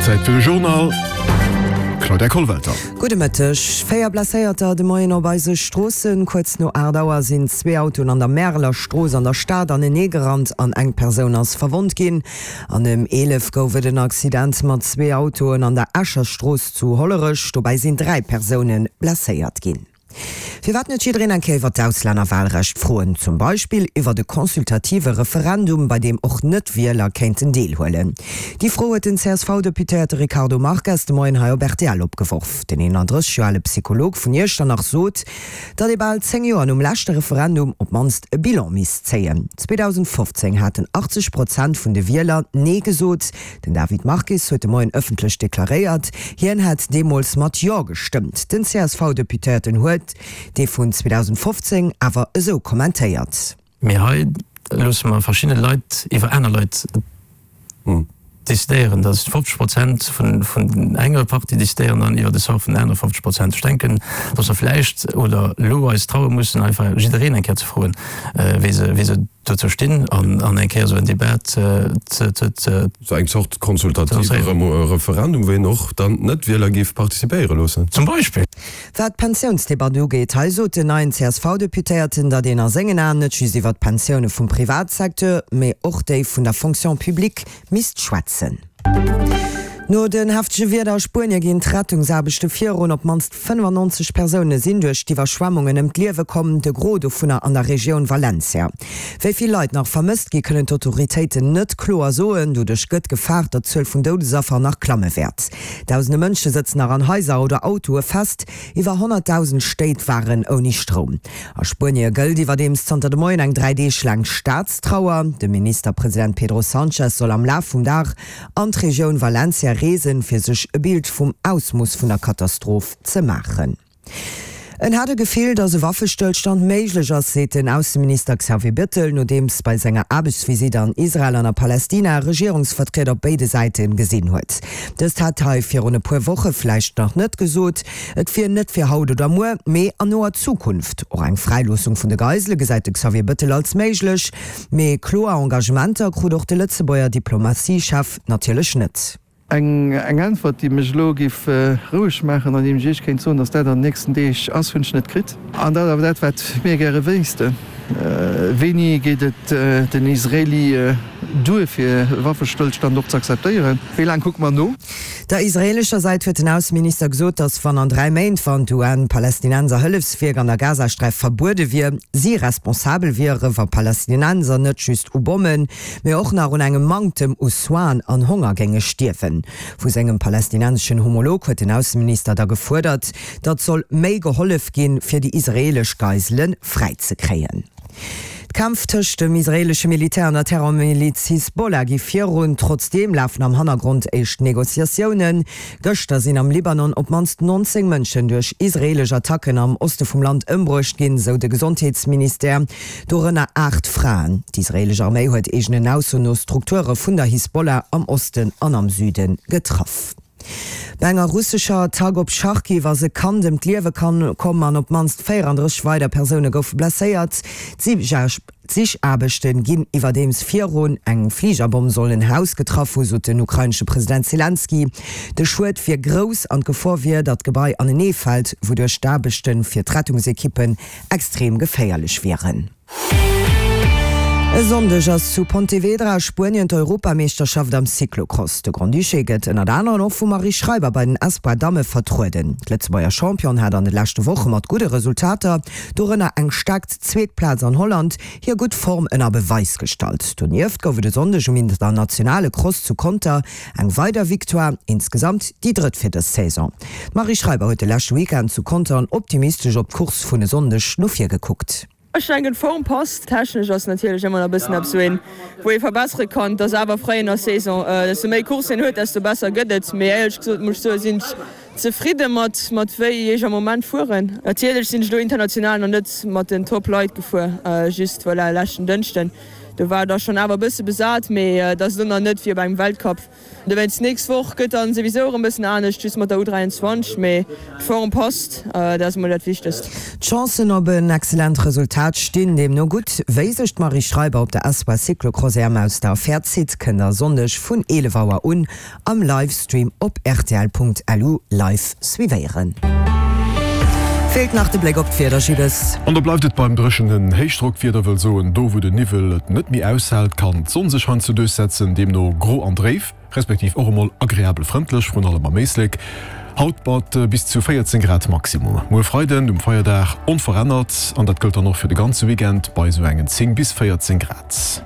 Zäit fir de Journal. Claudia Kollwelter. Gudde Mëtteg. 4 Blesséierter de Moien op eise Stroossen. Kuerz no 8 Auer sinn zwee Autoen an der Märeler Strooss an der Stad anenee gerannt an eng Persoun ass verwonnt ginn. An ëm 11 gouf et en Accident mat zwee Autoen an der Escher Strooss zu Hollerech. Dobäi sinn 3 Persoune blesséiert ginn. Firwat net jiddereen eng Kéier iwwer d'Auslännerwahlrecht froen? Zum Beispill iwwert e consultative Referendum, bei deem och Net-Wieler kéinten deelhuelen? Déi Fro huet den CSV-Deputéierte Ricardo Marques de Moien hei op rtl opgeworf. Den 31 Joer ale Psycholog vun Iechternach sot, datt ee bal 10 Joer nom leschte Referendum op d'mannst e Bilan misst zéien. 2015 haten 80 Prozent vun de Wieler Nee gesot. Den David Marques huet de Moien ëffentlech deklaréiert, hien hätt deemools mat Jo gestëmmt. Den CSV-Deputéierten huet dee vun 2015 awer esou kommentéiert. Mee hei loosse mer verschidde Leit iwwer aner Leit decidéieren, dass 50 Prozent vun enger Partie decidéieren dann iwwer de Sort vun den anere 50 Prozent. Ech denken, dass mer vläicht oder elo eis traue mussen, einfach jiddereen eng Kéier ze froen, wéi se dozou stinn an eng Kéier esou en Debat ze. Sou eng Zort konsultative Referendum, wou een och dann d'Net-Wieler géif participéiere loossen. Zum Beispill. Wat d'Pensiounsdebatt ugeet, hei sot den neien CSV-Deputéierten, datt een a sengen Aen net just iwwer d'Pensioune vum Privatsecteur, mee och déi vun der Fonction publique misst schwätzen. No den heftege Wieder a Spuenie ginn d'Rettungsaarbechte virun. Op d'mannst 95 Persoune sinn duerch d'Iwwerschwemmungen ëm d'Liewe komm, de Gros dovunner an der Regioun Valencia. Wéi vill Leit nach vermësst gi kënnen d'Autoritéiten net kloer soen. Doduerch gëtt gefaart, datt d'Zuel vun Doudesaffer nach klamme wäert. Dausende Mënsche sëtzen nach an Haiser oder Autoe fest. Iwwer 100.000 Stéit waren ouni Stroum. A Spuenie gëllt iwwerdeems zanter de Moien eng 3 Deeg laang Staatstrauer. De Ministerpresident Pedro Sanchez soll am Laf vum Dag an d'Regioun Valencia reesen, fir sech e Bild vum Ausmooss vun der Katastroph ze maachen. En hat e Gefill, datt e Waffestëllstand méiglech ass, seet den Ausseminister Xavier Bettel, nodeems bei senger Aarbechtsvisitt an Israel an a Palästina Regierungsvertrieder op béide Säite gesinn huet. Dëst hat hei virun e puer Woche vläicht nach net gesot. Et wier net fir haut oder muer, mee an noer Zukunft. Och eng Fräiloossung vun de Geisele gesäit de Xavier Bettel als méiglech. Mee kloer Engagementer krut och de Lëtzebuerger Diplomatiechef natierlech net. Eng Äntwert, déi mech elo géif roueg maachen an déi ech Iech kéint soen, datt dat an den nächsten Deeg ass, hunn ech net kritt. An dat awer dat, wat mir gäre wéissten, Wéini geet et den Israelie duer, fir e Waffestëllstand och ze akzeptéieren? Wéi laang kucke mer no? Der israeelescher Säit huet den Ausseminister gesot, datt wann an 3 Méint, wann d'UN-Palästinenser-Hëllefswierk an der Gazasträif verbuede wier, si responsabel wiere wa Palästinenser net just u Bommen, mee och nach un engem Manktem u Soinen an Honger géinge stierwen. Vu sengem palästinenseschen Homolog huet den Ausseminister da gefuerdert, datt soll méi gehollef ginn, fir déi israeelesch Geisele fräizekréien. D'Kämpf tëscht dem israeelesche Militär an der Terrormiliz Hisbollah gi virun. Trotzdeem lafen am Hannergrond éischt Negociatiounen. Gëschter sinn am Libanon op d'mannst 19 Mënschen duerch israeelesch Attacken am Oste vum Land ëmbruecht ginn, sou de Gesondheetsministère, dorënner 8 Fraen. D'israeelesch Arméi huet eegenen Aussoen no Strukture vun der Hisbollah am Osten an am Süde getraff. Bei enger russescher Attack op Charkiw ass e Kand ëm d'Liewe komm an op d'mannst 34 weider Persoune goufe blesséiert. D'Sichaarbechte ginn iwwerdeems virun. Eng Fligerbomm soll en Haus getraff hu, sot den ukrainesche President Selenskyj. De Schued wier grouss an d'Gefor wier, datt d'Gebai aneneefält, wouduerch d'Aarbechte fir d'Rettungsekippen extrem geféierlech wieren. E Sonndeg ass zu Pontevedra a Spuenien d'Europameeschterschaft am Cyclocross. De Grand-Duché gëtt ënnert aneren och vum Marie Schreiber bei den Espoir Damme vertrueden. D'Lëtzebuerger Championne hat an de leschte Woche mat gudde Resultater, dorënner eng staark zweet Plaz an Holland, hir gutt Form ënner Beweis gestallt. Donieft gouf et e Sonndeg um internationale Cross zu Conter eng weider Victoire, insgesamt déi drëtt fir dës Saison. D'Marie Schreiber huet de leschte Weekend zu Contern optimistesch op d'Course vun e Sonndeg no vir gekuckt. Ech denken d'Form passt. Technesch ass natierlech ëmmer nach bëssen eppes wou een wou ee verbessere kann. Et ass awer fréi an der Saison, desto méi Coursen een huet desto besser gëtt et. Mee éierlech gesot muss ech soen sinn ech zefridde mat mat wéi ech am Moment fueren. Natierlech sinn ech elo international nach net mat den Top Leit gefuer, just voilà leschten Dënschden. Do war da schonn awer e bësse besat, mee et ass elo nach net wéi op engem Weltcup. Dowéinst d'nächst Woch gëtt dann souwisou erëm bëssen anescht, just mat der U23, mee d'Form passt, dat ass emol dat Wichtegst. D'Chancen op en excellent Resultat stinn deemno gutt. Wéi sech d'Marie Schreiber op der Espoir Cyclocross EM aus der Affär zitt, kënnt der e Sonndeg vun 11 Auer un am Livestream op rtl.lu live suivéieren. Feelt nach de Bléck op d'Wieder, Gilles. An da bleift et beim dréchenen Héichdrockwieder, wëll soen, do wou de Niwwel et net méi aushält, kann d'Sonn sech heiansdo duerchsetzen, deemno gro an dréif, respektiv och emol agreabel frëndlech, vrun allem am Éislek. Haut mat bis zu 14 Grad Maximum. Muer Freiden, um Feierdag, onverännert an dat gëllt dann och fir de ganze Weekend bei esou engen 10 bis 14 Grad.